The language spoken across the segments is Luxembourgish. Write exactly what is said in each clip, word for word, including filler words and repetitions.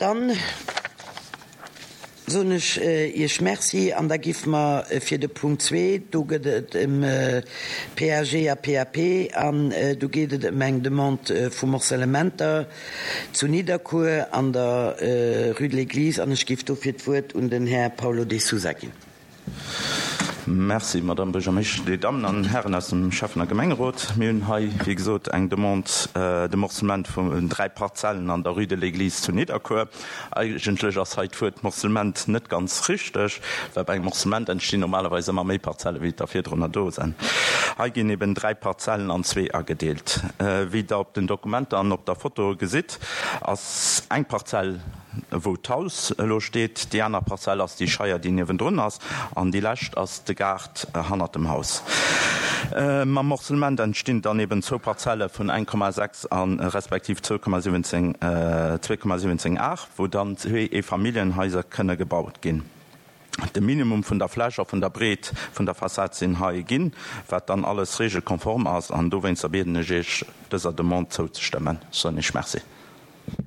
Dann soen ech Iech Merci an da giffe mer fir de Punkt zwee, do gëtt et ëm PAG a PAP an do geet et ëm eng Demande vu Morcellementer zu Nidderkuer an der Rue de l'Église an ech giff dofir d'Wuert un den Här Paulo De Sousa ginn. Merci, Madamm Buergermeeschtesch, Dir Dammen an Hären aus dem Schäffen a Gemengerot. Mir hunn hei, wéi gesot, eng Demande de Morcellement vun dräi Parzellen an der Rue de l'Église zu Nidderkuer. Eigentlech ass hei d'Wuert Morcellement net ganz richteg, well bei engem Morcellement entstinn normalerweis ëmmer méi Parzelle wéi der virdrunner do sinn. Hei ginn eben dräi Parzellen an zwee agedeelt. Wéi Der op den Dokumenter an op der Foto gesitt, ass eng Parzell, wou d'Haus elo steet, déi aner Parzell ass déi Scheier, déi niewendrun ass, an déi lescht ass de Gaart hannert dem Haus. Mam Morcellement entstinn dann eben zwou Parzelle vun eng Komma sechs a respektiv zwou Komma siwwenzéng, zwee Komma siwwenzéng Ar, wou dann zwee Eefamilljenhaiser kënne gebaut ginn. De Minimum vun der Fläch a vun der Breet vun der Fassad sinn hei ginn, wat dann alles regelkonform ass, an dowéinster bieden ech Iech, dëser Demande zouzestëmmen. Soen Iech Merci.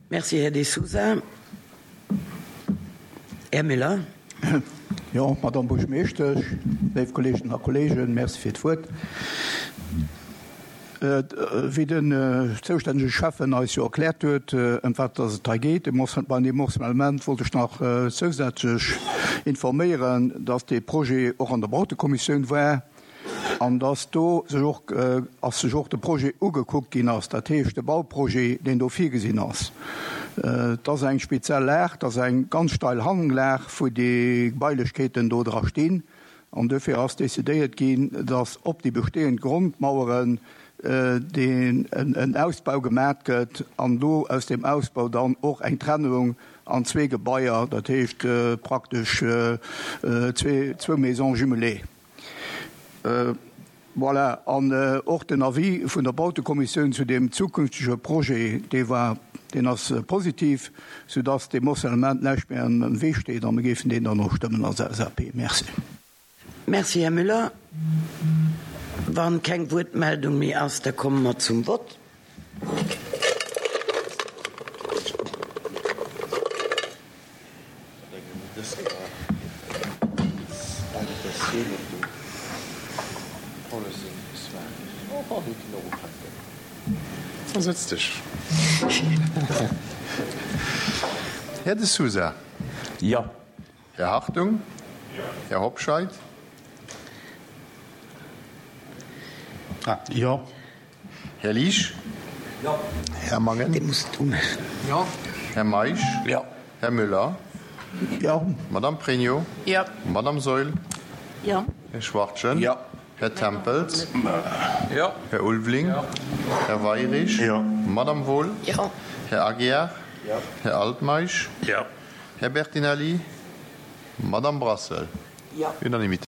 Merci, Här De Sousa. Här Müller. Jo, Madamm Buergermeeschtesch, léif Kolleeginnen a Kolleegen, Merci fir d'Wuert. Wéi den zoustännege Schäffen eis jo erkläert huet, ëm wat dass et hei geet, bei deem Morcellement, wollt ech nach zousätzlech informéieren, dass dee Projet och an der Bautekommissioun war an dass do sech och ass sech och de Projet ugekuckt ginn ass, dat heescht de Bauprojet, deen do virgesinn ass. Et ass eng speziell Lag, et ass eng ganz steil Hanglag, wou déi Gebailechkeeten do dra stinn. An duerfir ass decidéiert ginn, dass op déi bestehend Grondmaueren deen en Ausbau gemat gëtt an do aus deem Ausbau dann och eng Trennung an zwee Gebaier, dat heescht praktesch zwee, zwou Maisons jumelées. Voilà, an och den Avis vun der Bautekommissioun zu deem zukünftege Projet, dee war, deen ass positiv, soudass deem Morcellement näischt méi am Wee steet a mir géifen deen dann och stëmmen als LSAP. Merci. Merci, Här Müller. Wa keng Wuertmeldung méi ass, da komme mer zum Vott. Versetz dech. Här De Sousa. Jo. Här Hartung. Här Hobscheit. Jo. Här Liesch. Jo. Här Mangen. Dee muss et umaachen. Jo. Här Meisch. Jo. Här Müller. Jo. Madame Pregno. Jo. Madame Saeul. Jo. Här Schwachtgen. Jo. Här Tempels. Jo. Här Ulveling. Jo. Här Weirich. Jo. Madame Wohl. Jo. Här Aguiar. Jo. Här Altmeisch. Jo. Här Bertinelli. Madame Brassel. Jo. Unanimité.